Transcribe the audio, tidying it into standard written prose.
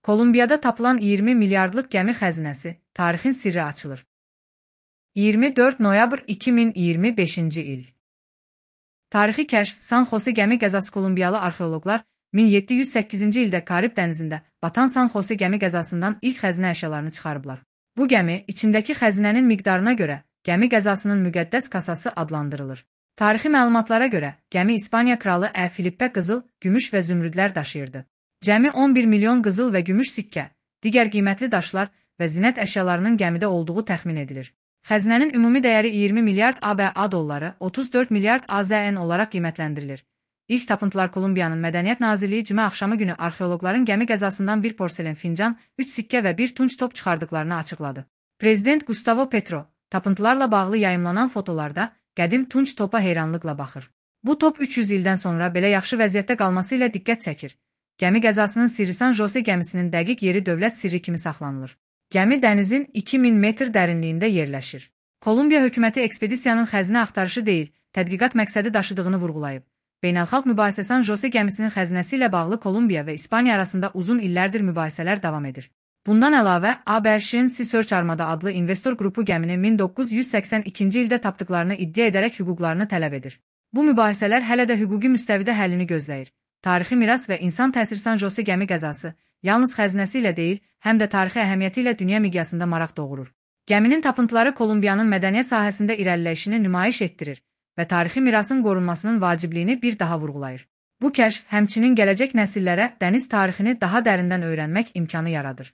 Kolumbiyada tapılan 20 milyardlıq gəmi xəzinəsi, tarixin sirri açılır. 24 noyabr 2025-ci il. Tarixi kəşf San Jose gəmi qəzası. Kolumbiyalı arxeoloqlar 1708-ci ildə Karib dənizində batan San Jose gəmi qəzasından ilk xəzinə əşyalarını çıxarıblar. Bu gəmi içindəki xəzinənin miqdarına görə gəmi qəzasının müqəddəs kasası adlandırılır. Tarixi məlumatlara görə gəmi İspaniya kralı Filippə qızıl, gümüş və zümrüdlər daşıyırdı. Cəmi 11 milyon qızıl və gümüş sikkə, digər qiymətli daşlar və zinət əşyalarının gəmidə olduğu təxmin edilir. Xəzinənin ümumi dəyəri 20 milyard ABA dolları, 34 milyard AZN olaraq qiymətləndirilir. İlk tapıntılar Kolumbiyanın Mədəniyyət Nazirliyi cümə axşamı günü arxeoloqların gəmi qəzasından bir porselen fincan, 3 sikkə və bir tunç top çıxardıqlarını açıqladı. Prezident Gustavo Petro tapıntılarla bağlı yayımlanan fotolarda qədim tunç topa heyranlıqla baxır. Bu top 300 ildən sonra belə yaxşı vəziyyətdə qalması ilə diqqət çəkir. Gəmi qəzasının sirri San Jose gəmisinin dəqiq yeri dövlət sirri kimi saxlanılır. Gəmi dənizin 2000 metr dərinliyində yerləşir. Kolumbiya hökuməti ekspedisiyanın xəzinə axtarışı deyil, tədqiqat məqsədi daşıdığını vurğulayıb. Beynəlxalq mübahisə San Jose gəmisinin xəzinəsi ilə bağlı Kolumbiya və İspaniya arasında uzun illərdir mübahisələr davam edir. Bundan əlavə, ABŞ-ın Sea Search Armada adlı investor qrupu gəmini 1982-ci ildə tapdıqlarını iddia edərək hüquqlarını tələb edir. Bu mübahisələr hələ də hüquqi müstəvidə həllini gözləyir. Tarixi miras və insan təsiri San Jose gəmi qəzası yalnız xəzinəsi ilə deyil, həm də tarixi əhəmiyyəti ilə dünya miqyasında maraq doğurur. Gəminin tapıntıları Kolumbiyanın mədəniyyət sahəsində irəliləyişini nümayiş etdirir və tarixi mirasın qorunmasının vacibliyini bir daha vurğulayır. Bu kəşf həmçinin gələcək nəsillərə dəniz tarixini daha dərindən öyrənmək imkanı yaradır.